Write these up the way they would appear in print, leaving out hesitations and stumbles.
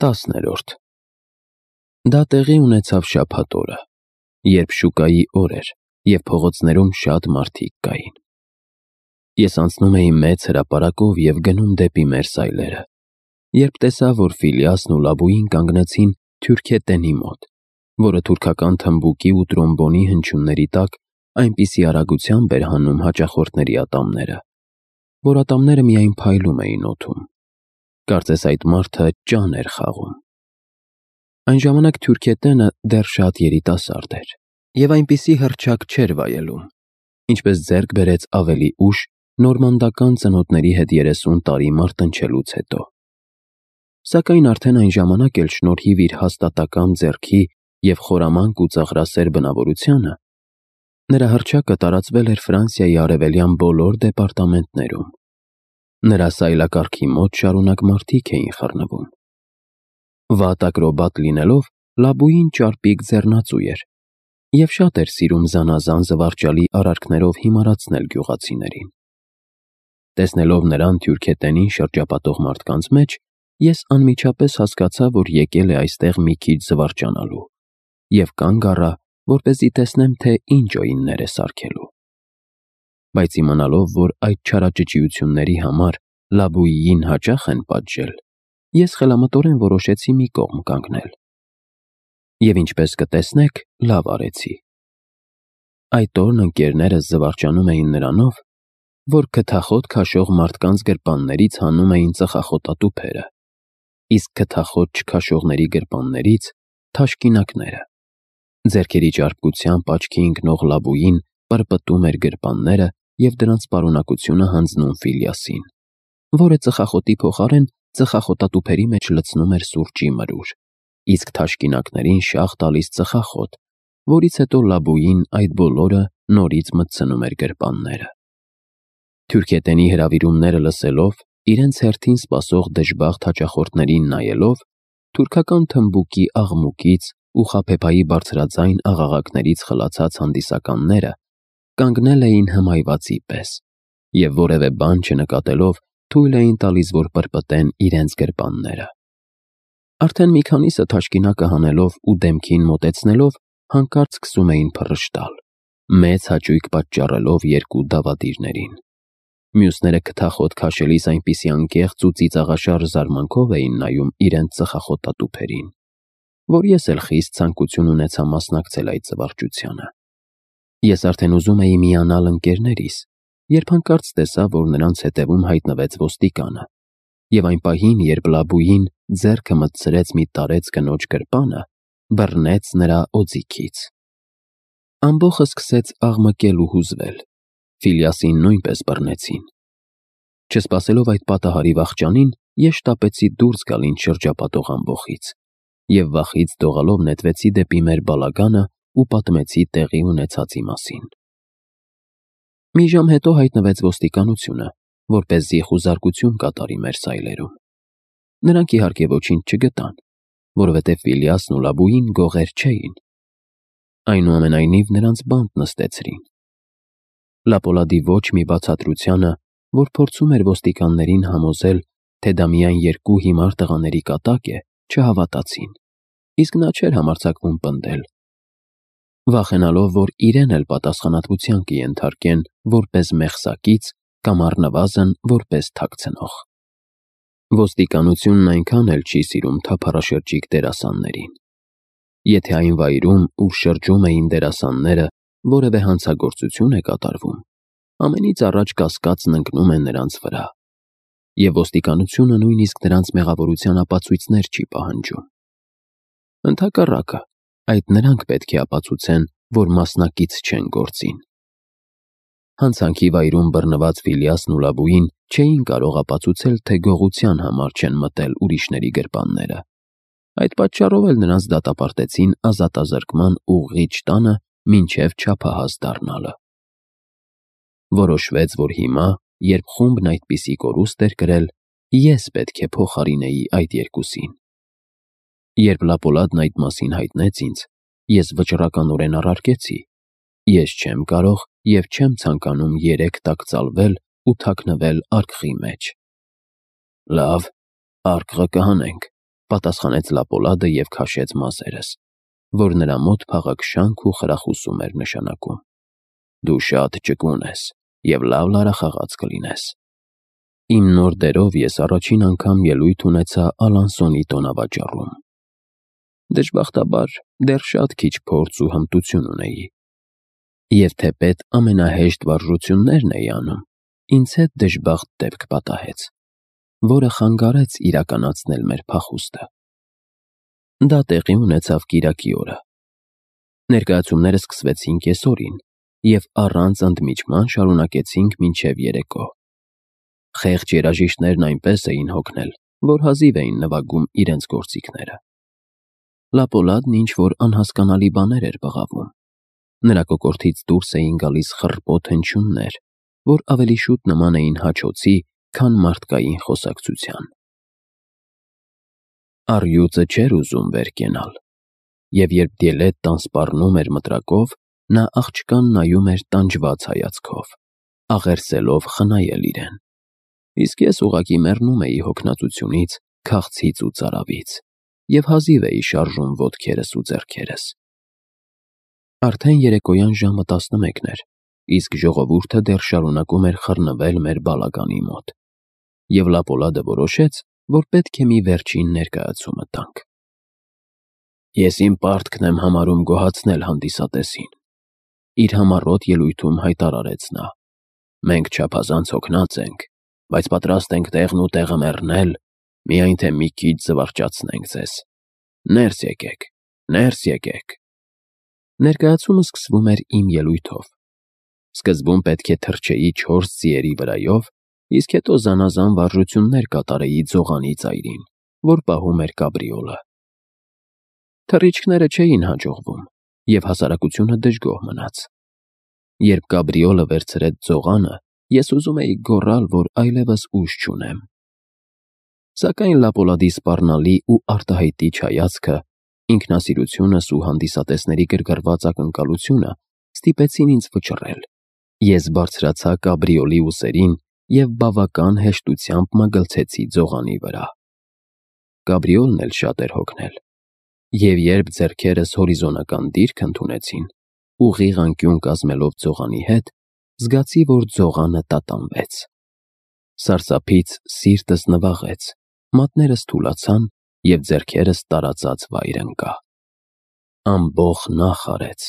10-րդ Դա տեղի ունեցավ շաբաթ օրը, երբ շուկայի օր էր և փողոցներում շատ մարդիկ կային։ Ես անցնում էի մեծ հրապարակով և գնում դեպի մեր սայլերը, երբ տեսա, որ Ֆիլյասն ու Լաբույին կանգնեցին թուրքետենի մոտ, որը թուրքական թմբուկի ու տրոմբոնի հնչյունների տակ այնպիսի արագությամբ էր հանում հաճախորդների ատամները, որ ատամները միայն փայլում էին օդում։ Կարծես այդ մարդը ճան էր խաղում։ Այն ժամանակ թուրքետենը դեռ շատ երիտասարդ էր և այնպիսի հռչակ չէր վայելում, ինչպես ձեռք բերեց ավելի ուշ նորմանդական ծնոտների հետ 30 տարի մարտնչելուց հետո։ Սակայն արդեն այն ժամանակ էլ շնորհիվ իր հաստատակամ ձեռքի և խորամանկ ու ծաղրասեր բնավորությանը, նրա հռչակը տարածվել էր Ֆրանսիայի արևելյան բոլոր դեպարտամենտներում։ Նրա սայլակառքի մոտ շարունակ մարդիկ էին խռնվում։ Վատ ակրոբատ լինելով, Լաբույին ճարպիկ ձեռնածու էր և շատ էր սիրում զանազան զվարճալի արարքներով հիմարացնել գյուղացիներին։ Տեսնելով նրան թուրքետենին շրջապատող մարդկանց մեջ, ես անմիջապես հասկացա, որ եկել է այստեղ մի քիչ զվարճանալու և կանգ առա, որպեսզի տեսնեմ, թե ինչ օյիններ է սարքելու։ Բայց իմանալով, որ այդ չարաճճիությունների համար Լաբույին հաճախ են պատժել, ես խելամտորեն որոշեցի մի կողմ կանգնել։ Եվ ինչպես կտեսնեք, լավ արեցի։ Այդ օրն ընկերներս զվարճանում էին նրանով, որ քթախոտ քաշող մարդկանց գրպաններից հանում էին ծխախոտատուփերը, իսկ քթախոտ չքաշողների գրպաններից՝ թաշկինակները։ Ձեռքերի ճարպկությամբ աչքի ընկնող Լաբույին պրպտում էր գրպանները և դրանց պարունակությունը հանձնում Ֆիլյասին, որը ծխախոտի փոխարեն ծխախոտատուփերի մեջ լցնում էր սուրճի մրուր, իսկ թաշկինակներին շաղ տալիս ծխախոտ, որից հետո Լաբույին այդ բոլորը նորից մտցնում էր գրպանները։ Թուրքետենի հրավիրումները լսելով, իրենց հերթին սպասող դժբախտ հաճախորդներին նայելով, թուրքական թմբուկի աղմուկից ու խաբեբայի բարձրաձայն աղաղակներից խլացած հանդիսականները կանգնել էին հմայվածի պես և որևէ բան չնկատելով թույլ էին տալիս, որ պրպտեն իրենց գրպանները։ Արդեն մի քանիսը թաշկինակը հանելով ու դեմքին մոտեցնելով հանկարծ սկսում էին փռշտալ, մեծ հաճույք պատճառելով երկու դավադիրներին։ Մյուսները քթախոտ քաշելիս այնպիսի անկեղծ ու ծիծաղաշարժ զարմանքով էին նայում իրենց ծխախոտատուփերին, որ ես էլ խիստ ցանկություն ունեցա մասնակցել այդ զվարճությանը։ Ես արդեն ուզում էի միանալ ընկերներիս, երբ հանկարծ տեսա, որ նրանց հետևում հայտնվեց ոստիկանը, և այն պահին, երբ Լաբույին ձեռքը մտցրեց մի տարեց կնոջ գրպանը, բռնեց նրա օձիքից։ Ամբոխը սկսեց աղմկել ու հուզվել, Ֆիլյասին նույնպես բռնեցին։ Չսպասելով այդ պատահարի վախճանին, ես շտապեցի դուրս գալ ինձ շրջապատող ամբոխից և վախից դողալով նետվեցի դեպի մեր բալագանը ու պատմեցի տեղի ունեցածի մասին։ Մի ժամ հետո հայտնվեց ոստիկանությունը, որպեսզի խուզարկություն կատարի մեր սայլերում։ Նրանք իհարկե ոչինչ չգտան, որովհետև Ֆիլյասն ու Լաբույին գողեր չէին։ Այնուամենայնիվ նրանց բանտ նստեցրին։ Լապոլադի ոչ մի բացատրությանը, որ փորձում էր ոստիկաններին համոզել, թե դա միայն երկու հիմար տղաների կատակ է, չհավատացին, իսկ նա չէր համարձակվում պնդել, վախենալով, որ իրեն էլ պատասխանատվության կենթարկեն որպես մեղսակից կամ առնվազն որպես թաքցնող։ Ոստիկանությունն այնքան էլ չի սիրում թափառաշրջիկ դերասաններին։ Եթե այն վայրում, ուր շրջում էին դերասանները, որևէ հանցագործություն է կատարվում, ամենից առաջ կասկածն ընկնում է նրանց վրա, և ոստիկանությունը նույնիսկ նրանց մեղավորության ապացույցներ չի պահանջում։ Ընդհակառակը, այդ նրանք պետք է ապացուցեն, որ մասնակից չեն գործին։ Հանցանքի վայրում բռնված Ֆիլյասն ու Լաբույին չէին կարող ապացուցել, թե գողության համար չեն մտել ուրիշների գրպանները։ Այդ պատճառով էլ նրանց դատապարտեցին ազատազրկման ուղղիչ տանը մինչև չափահաս դառնալը։ Որոշվեց, որ հիմա, երբ խումբն այդպիսի կորուստ էր կրել, ես պետք է փոխարինեի այդ երկուսին։ Երբ Լապոլադն այդ մասին հայտնեց ինձ, ես վճռականորեն առարկեցի. ես չեմ կարող և չեմ ցանկանում երեք տաքծալվել ու թաքնվել արկղի մեջ։ Լավ, արկղը կհանենք, պատասխանեց Լապոլադը և քաշեց մազերս, որ նրա մոտ փաղաքշանք ու խրախուսում էր նշանակում։ Դու շատ ճկուն ես և լավ լարախաղաց կլինես։ Իմ նոր դերով ես առաջին անգամ ելույթ ունեցա Ալանսոնի տոնավաճառում։ Դժբախտաբար, դեռ շատ քիչ փորձ ու հմտություն ունեի։ Եվ թեպետ ամենահեշտ վարժություններն էի անում, ինձ հետ դժբախտ դեպք պատահեց, որը խանգարեց իրականացնել մեր փախուստը։ Դա տեղի ունեցավ կիրակի օրը։ Ներկայացումները սկսվեցին կեսօրին և առանց ընդմիջման շարունակեցինք մինչև երեկո։ Խեղճ երաժիշտներն այնպես էին հոգնել, որ հազիվ էին նվագում իրենց գործիքները։ Լապոլադն ինչ-որ անհասկանալի բաներ էր բղավում։ Նրա կոկորդից դուրս էին գալիս խռպոտ հնչյուններ, որ ավելի շուտ նման էին հաչոցի, քան մարդկային խոսակցության։ Առյուծը չէր ուզում վեր կենալ, և երբ Դիելետտան սպառնում էր մտրակով, նա աղջկան նայում էր տանջված հայացքով, աղերսելով խնայել իրեն, իսկ ես ուղղակի մեռնում էի հոգնածությունից, քաղցից ու ծարավից, և հազիվ էի շարժում ոտքերս ու ձեռքերս։ Արդեն երեկոյան ժամը 11 էր, իսկ ժողովուրդը դեռ շարունակում էր խռնվել մեր բալականի մոտ, և Լապոլադը որոշեց, որ պետք է մի վերջին ներկայացումը տանք։ Ես իմ պարտքն եմ համարում գոհացնել հանդիսատեսին, իր համառոտ ելույթում հայտարարեց նա։ Մենք չափազանց հոգնած ենք, բայց պատրաստ ենք տեղն ու տեղը մեռնել, միայն թե մի քիչ զվարճացնենք ձեզ։ Ներս եկեք, ներս եկեք։ Ներկայացումը սկսվում էր իմ ելույթով։ Սկզբում պետք է թռչեի 4 ձիերի վրայով, իսկ հետո զանազան վարժություններ կատարեի ձողանի ծայրին, որ պահում էր կաբրիոլը։ Թռիչքները չէին հաջողվում, և հասարակությունը դժգոհ մնաց։ Երբ կաբրիոլը վերցրեց ձողանը, ես ուզում էի գոռալ, որ այլևս ուժ չունեմ։ Սակայն Լապոլադի սպառնալի ու արտահայտիչ հայացքը, ինքնասիրությունս ու հանդիսատեսների գրգռված ակնկալությունը ստիպեցին ինձ վճռել։ Ես բարձրացա կաբրիոլի ուսերին և բավական հեշտությամբ մագլցեցի ձողանի վրա։ Կաբրիոլն էլ շատ էր հոգնել, և երբ ձեռքերս հորիզոնական դիրք ընդունեցին, ուղիղ անկյուն կազմելով ձողանի հետ, զգացի, որ ձողանը տատանվեց։ Սարսափից սիրտս նվաղեց, մատներս թուլացան, և ձեռքերս տարածած վայր ընկա։ Ամբոխ նախ արեց։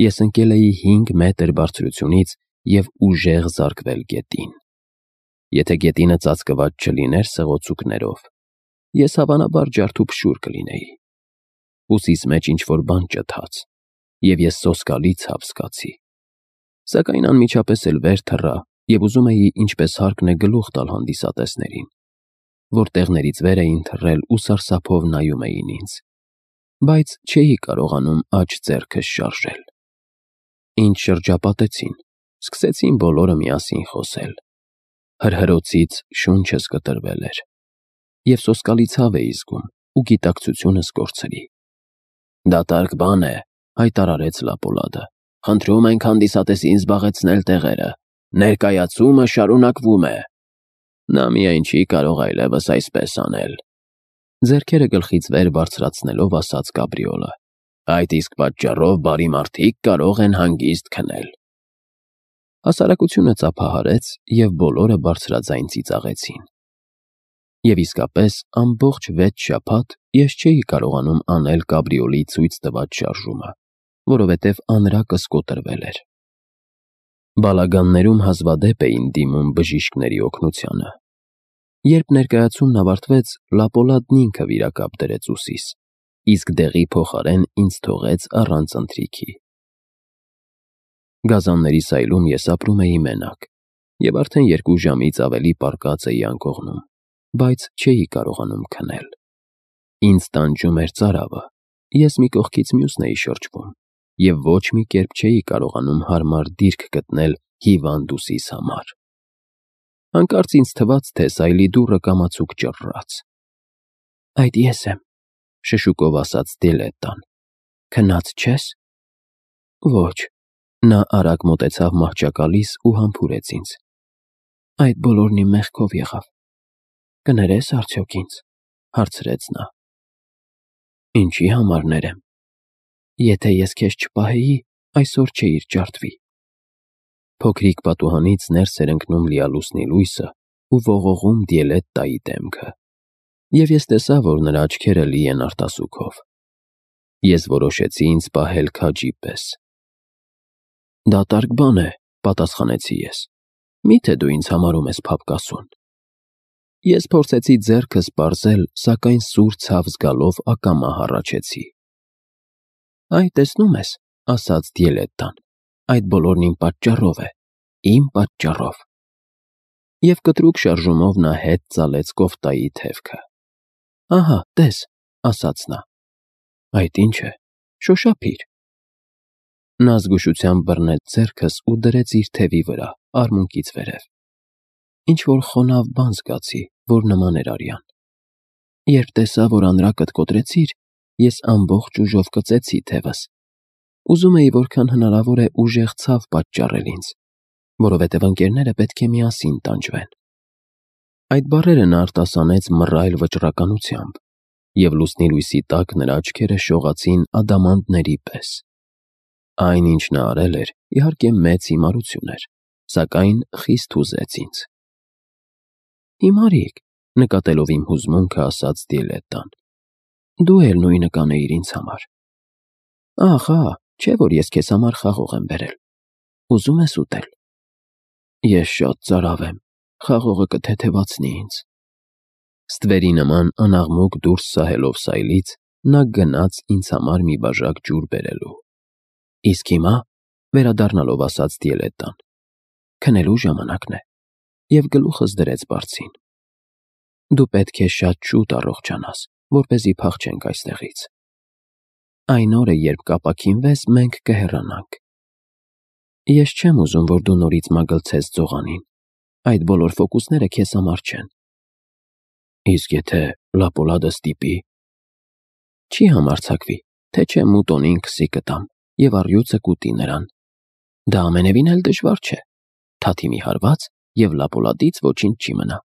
Ես ընկել էի 5 մետր բարձրությունից և ուժեղ զարկվել գետին։ Եթե գետինը ծածկված չլիներ սղոցուկներով, ես հավանաբար ջարդուփշուր կլինեի։ Ուսիս մեջ ինչ-որ բան ճթաց, և ես սոսկալի ցավ զգացի։ Սակայն անմիջապես էլ վեր թռա և ուզում էի ինչպես հարկն է գլուխ տալ հանդիսատեսներին, որ տեղներից վեր էին թռել ու սարսափով նայում էին ինձ, բայց չէի կարողանում աջ ձեռքս շարժել։ Ինձ շրջապատեցին, սկսեցին բոլորը միասին խոսել։ Հրհրոցից շունչս կտրվել էր, և սոսկալի ցավ էի զգում ու գիտակցությունս կորցրի։ «Դատարկ բան է», հայտարարեց Լապոլադը։ «Խնդրում ենք հանդիսատեսին զբաղեցնել տեղերը։ Ներկայացումը շարունակվում է»։ Նա միայն չի կարող այլևս այսպես անել, ձեռքերը գլխից վեր բարձրացնելով ասաց կաբրիոլը։ Այդ իսկ պատճառով բարի մարդիկ կարող են հանգիստ քնել։ Հասարակությունը ծափահարեց, և բոլորը բարձրաձայն ծիծաղեցին։ Եվ իսկապես ամբողջ 6 շաբաթ ես չէի կարողանում անել կաբրիոլի ցույց տված շարժումը, որովհետև անրակս կոտրվել էր։ Բալագաններում հազվադեպ էին դիմում բժիշկների օգնությանը։ Երբ ներկայացումն ավարտվեց, Լապոլադն ինքը վիրակապ դրեց ուսիս, իսկ դեղի փոխարեն ինձ թողեց առանց ընթրիքի։ Գազանների սայլում ես ապրում էի մենակ, և արդեն 2 ժամից ավելի պառկած էի անկողնում, բայց չէի կարողանում քնել։ Ինձ տանջում էր ծարավը, ես մի կողքից մյուսն էի շրջվում, և ոչ մի կերպ չէի կարողանում հարմար դիրք գտնել հիվանդ ուսիս համար։ Հանկարծ ինձ թվաց, թե սայլի դուռը կամացուկ ճռռաց։ «Այդ ես եմ», շշուկով ասաց Դիելետտան։ «Քնած չե՞ս»։ «Ոչ»։ Նա արագ մոտեցավ մահճակալիս ու համբուրեց ինձ։ «Այդ բոլորն իմ մեղքով եղավ»։ «Կներես արդյոք ինձ»։ Հարցրեց նա։ Ինչի համար ներեմ։ Եթե ես քեզ չպահեի, այսօր չէիր ջարդվի։ Փոքրիկ պատուհանից ներս էր ընկնում լիալուսնի լույսը ու ողողում Դիելետտայի դեմքը, և ես տեսա, որ նրա աչքերը լի են արտասուքով։ Ես որոշեցի ինձ պահել քաջի պես։ Դատարկ բան է, պատասխանեցի ես։ Միթե դու ինձ համարում ես փափկասուն։ Ես փորձեցի ձեռքս պարզել, սակայն սուր ցավ զգալով ակամա հառաչեցի։ Այ տեսնում ես, ասաց Դիելետտան, այդ բոլորն իմ պատճառով է, իմ պատճառով։ Եվ կտրուկ շարժումով նա հետ ծալեց կոֆտայի թևքը։ Ահա, տես, ասաց նա։ Այդ ինչ է, շոշափիր։ Նա զգուշությամբ բռնեց ձեռքս ու դրեց իր թևի վրա, արմունկից վերև։ Ինչ-որ խոնավ բան զգացի, որ նման էր արյան։ Երբ տեսա, որ անրակդ կոտրեցիր, ես ամբողջ ուժով կծեցի թևս։ Ուզում էի որքան հնարավոր է ուժեղ ցավ պատճառել ինձ, որովհետև ընկերները պետք է միասին տանջվեն։ Այդ բառերը նա արտասանեց մռայլ վճռականությամբ, և լուսնի լույսի տակ նրա աչքերը շողացին ադամանդների պես։ Այն, ինչ նա արել էր, իհարկե մեծ հիմարություն էր, սակայն խիստ հուզեց ինձ։ Հիմարիկ, նկատելով իմ հուզմունքը, ասաց Դիելետտան, դու էլ նույնը կանեիր ինձ համար։ Ահա, չէ՞ որ ես քեզ համար խաղող եմ բերել։ Ուզում ես ուտել։ Ես շատ ծարավ եմ, խաղողը կթեթևացնի ինձ։ Ստվերի նման անաղմուկ դուրս սահելով սայլից, նա գնաց ինձ համար մի բաժակ ջուր բերելու։ Իսկ հիմա, վերադառնալով ասաց Դիելետտան, քնելու ժամանակն է, և գլուխս դրեց բարձին։ Դու պետք է շատ շուտ առողջանաս, որպեսզի փախչենք այստեղից։ Այն օրը, երբ կապաքինվես, մենք կհեռանանք։ Ես չեմ ուզում, որ դու նորից մագլցես ձողանին։ Այդ բոլոր ֆոկուսները քեզ համար չեն։ Իսկ եթե Լապոլադը ստիպի։ Չի համարձակվի, թե չէ Մուտոնին քսի կտամ, և առյուծը կուտի նրան։ Դա ամենևին էլ դժվար չէ։ Թաթի մի հարված, և Լապոլադից ոչինչ չի մնա։